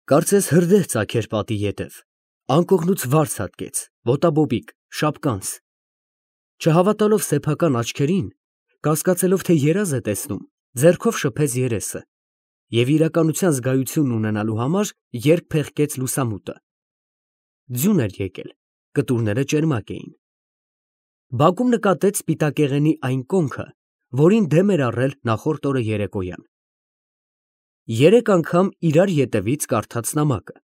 Կարծես հրդեհ ծագեր պատի ետև, անկողնուց վարձ հատկեց, ոտաբոբիկ, շապկանց, չհավատալով սեփական աչքերին, կասկածելով, թե երազ է տեսնում, ձեռքով շփեց երեսը և իրականության զգայությունն ունենալու համար երկ փեղկեց լուսամուտը։ Ձյուն էր եկել, կտուրները ճերմակ էին։ Բակում նկատեց սպիտակեղենի այն կոնքը, որին դեմ էր առել նախորդ օրը երեկոյան։ Երեք անգամ իրար ետևից կարդաց նամակը։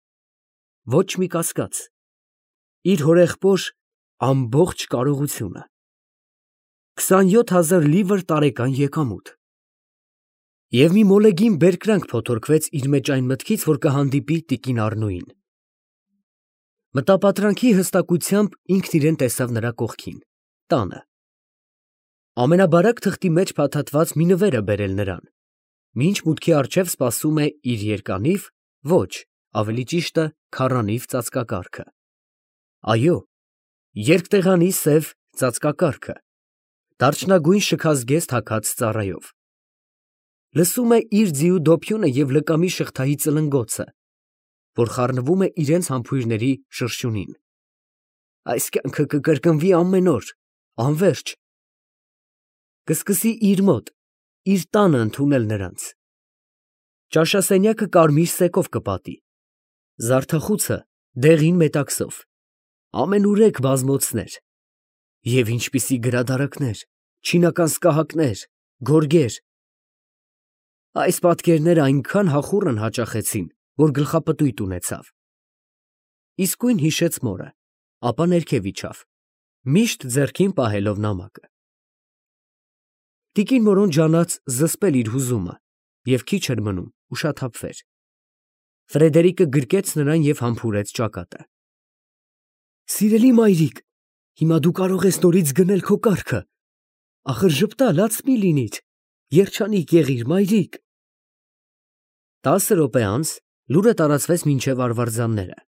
Ոչ մի կասկած։ Իր հորեղբոր ամբողջ կարողությունը։ 27,000 լիվր տարեկան եկամուտ։ Եվ մի մոլեգին բերկրանք փոթորկվեց իր մեջ այն մտքից, որ կհանդիպի տիկին Առնոյին։ Մտապատրանքի հստակությամբ ինքն իրեն տեսավ նրա կողքին, տանը։ Ամենաբարակ թղթի մեջ փաթաթված մի նվեր է բերել նրան, մինչ մուտքի առջև սպասում է իր երկանիվ, ոչ, ավելի ճիշտը քառանիվ ծածկակառքը։ Այո, երկտեղանի սև ծածկակառքը, դարչնագույն շքազգեստ հագած ծառայով։ Լսում է իր ձիու դոփյունը և լկամի շղթայի ծլնգոցը, որ խառնվում է իրենց համբույրների շրշյունին։ Այս կյանքը կկրկնվի ամեն օր, անվերջ։ Կսկսի իր մոտ, իր տանը ընդունել նրանց։ Ճաշասենյակը կարմիր սեկով կպատի, զարդախուցը դեղին մետաքսով, ամենուրեք բազմոցներ, և ինչպիսի գրադարաններ, չինական սկահակներ, գորգեր։ Այս պատկերները այնքան հախուռն հաճախեցին, որ գլխապտույտ ունեցավ։ Իսկույն հիշեց մորը, ապա ներքև իջավ, միշտ ձեռքին պահելով նամակը։ Տիկին Մորոն ջանաց զսպել իր հուզումը և քիչ էր մնում ուշաթափվեր։ Ֆրեդերիկը գրկեց նրան և համբուրեց ճակատը։ Սիրելի մայրիկ, հիմա դու կարող ես նորից գնել քո կառքը, ախր ժպտալ մի լինիր, երջանիկ եղիր, մայրիկ։ 10 րոպե անց լուրը տարածվեց մինչև արվարձանները։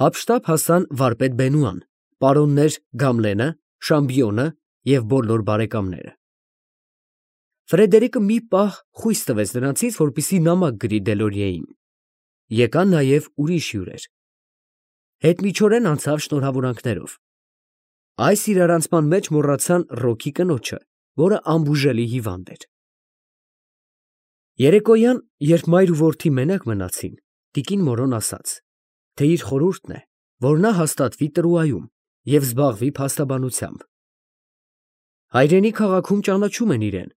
Հափշտապ հասան վարպետ Բենուան, պարոններ Գամլենը, Շամբիոնը և բոլոր բարեկամները։ Ֆրեդերիկը մի պահ խույս տվեց նրանցից, որպեսզի նամակ գրի Դելորիեին։ Եկան նաև ուրիշ հյուրեր։ Հետմիջորեն անցավ շնորհավորանքներով։ Այս իրարանցման մեջ մոռացան Ռոքի կնոջը, որը անբուժելի հիվանդ էր։ Երեկոյան, երբ մայր ու որդի մենակ մնացին, տիկին Մորոն ասաց, թե իր խորհուրդն է, որ նա հաստատվի Տրուայում և զբաղվի փաստաբանությամբ։ Հայրենի քաղաքում ճանաչում են իրեն,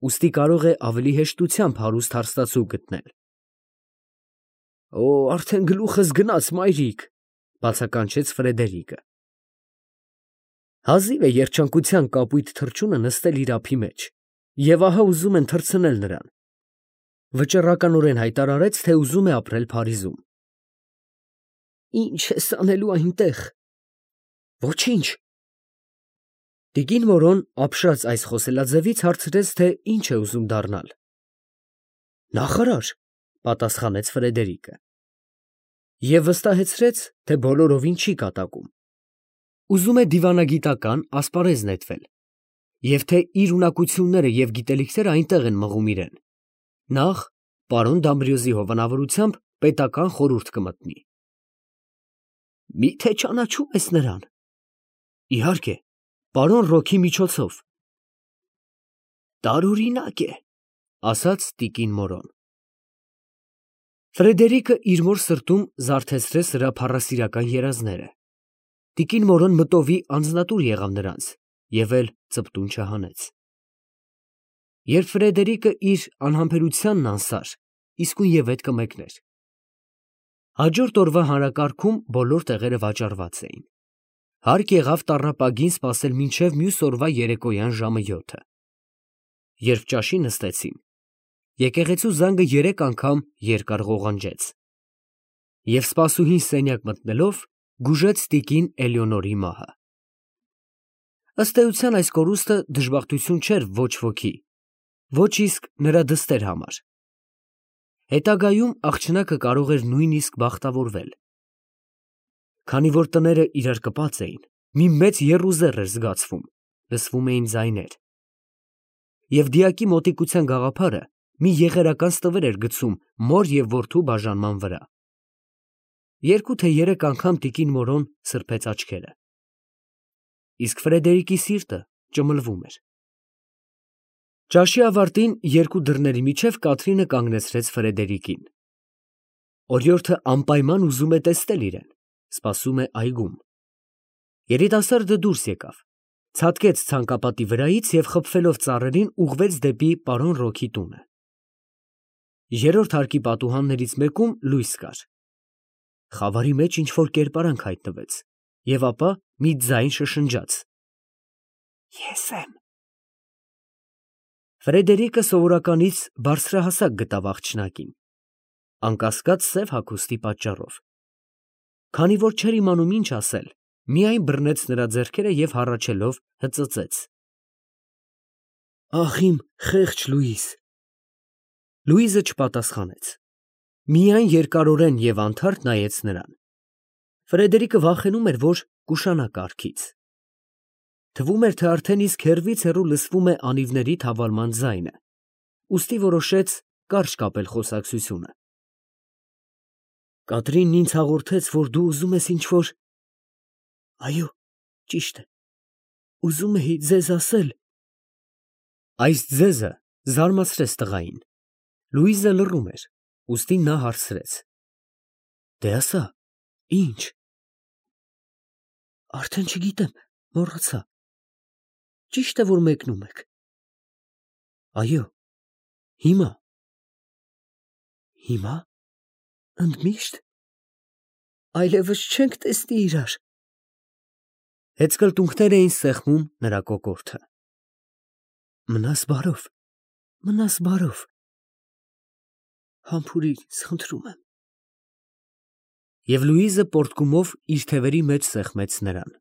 ուստի կարող է ավելի հեշտությամբ հարուստ հարստացու գտնել։ Օ, արդեն գլուխս գնաց, մայրիկ, բացականչեց Ֆրեդերիկը։ Հազիվ է երջանկության կապույտ թռչունը նստել իր ափի մեջ, և ահա ուզում են թռցնել նրան։ Վճռականորեն հայտարարեց, թե ուզում է ապրել Փարիզում։ Ի՞նչ ես անելու այնտեղ։ Ոչինչ։ Տիկին Մորոն ապշած այս խոսելաձևից հարցրեց, թե ինչ է ուզում դառնալ։ Նախարար, պատասխանեց Ֆրեդերիկը։ Եվ վստահեցրեց, թե բոլորովին չի կատակում։ Ուզում է դիվանագիտական ասպարեզ նետվել, և թե իր ունակությունները և գիտելիքները այնտեղ են մղում իրեն։ Նախ պարոն Դամբրիոզի հովանավորությամբ պետական խորհուրդ կմտնի։ Մի՞թե ճանաչում ես նրան։ Իհարկե, պարոն Ռոքի միջոցով։ Տարօրինակ է, ասաց տիկին Մորոն։ Ֆրեդերիկը իր մոր սրտում զարթեցրեց նրա փառասիրական երազները։ Տիկին Մորոն մտովի անձնատուր եղավ նրանց և էլ ծպտուն չհանեց։ Երբ Ֆրեդերիկը իր անհամբերությանն անսար, իսկույն ևեթ կմեկներ։ Հաջորդ օրվա հանրակարգում բոլոր տեղերը վաճառված էին։ Հարկ եղավ տառապագին սպասել մինչև մյուս օրվա երեկոյան ժամը 7-ը։ Երբ ճաշի նստեցին, եկեղեցու զանգը 3 անգամ երկար ղողանջեց, և սպասուհին սենյակ մտնելով գուժեց տիկին Էլեոնորի մահը։ Ըստ էության այս կորուստը դժբախտություն չէր ոչ ոքի, ոչ իսկ նրա դստեր համար։ Հետագայում աղջնակը կարող էր նույնիսկ բախտավորվել։ Քանի որ տները իրար կպած էին, մի մեծ եռուզեռ էր զգացվում, լսվում էին ձայներ։ Եվ դիակի մոտիկության գաղափարը մի եղերական ստվեր էր գցում մոր և որդու բաժանման վրա։ 2 թե 3 անգամ տիկին Մորոն սրբեց աչքերը։ Իսկ Ֆրեդերիկի սիրտը ճմլվում էր։ Ճաշի ավարտին երկու դռների միջև Կատրինը կանգնեցրեց Ֆրեդերիկին։ Օրիորդը անպայման ուզում է տեսնել իրեն, սպասում է այգում։ Երիտասարդը դուրս եկավ, ցատկեց ցանկապատի վրայից և խփվելով ծառերին ուղղվեց դեպի պարոն Ռոքի տունը։ Երրորդ հարկի պատուհաններից մեկում լույս կար։ Խավարի մեջ ինչ-որ կերպարանք հայտնվեց, և ապա մի ձայն շշնջաց. Ես եմ։ Ֆրեդերիկը սովորականից բարձրահասակ գտավ աղջնակին, անկասկած սև հագուստի պատճառով։ Քանի որ չէր իմանում ինչ ասել, միայն բռնեց նրա ձեռքերը և հառաչելով հծծեց. Ախ իմ խեղճ Լուիս։ Լուիզը չպատասխանեց, միայն երկարորեն և անթարթ նայեց նրան։ Ֆրեդերիկը վախենում էր, որ կուշանա կառքից։ Թվում էր, թե արդեն իսկ հեռվից հեռու լսվում է անիվների թավալման ձայնը, ուստի որոշեց կարճ կապել խոսակցությունը։ Կատրինն ինձ հաղորդեց, որ դու ուզում ես ինչ-որ… Այո, ճիշտ է, ուզում էի ձեզ ասել… Այս ձեզը զարմացրեց տղային։ Լուիզը լռում էր, ուստի նա հարցրեց. Դե ասա, ի՞նչ։ Արդեն չգիտեմ, մոռացա։ Ճիշտ է, որ մեկնում եք։ Այո, հիմա։ Հիմա… Ընդմիշտ… Այլևս չենք տեսնի իրար… Հետզկլտունքներ էին սեղմում նրա կոկորդը։ Մնաս բարով, մնաս բարով… Համբուրիր ինձ, խնդրում եմ… Եվ Լուիզը պոռթկումով իր թևերի մեջ սեղմեց նրան։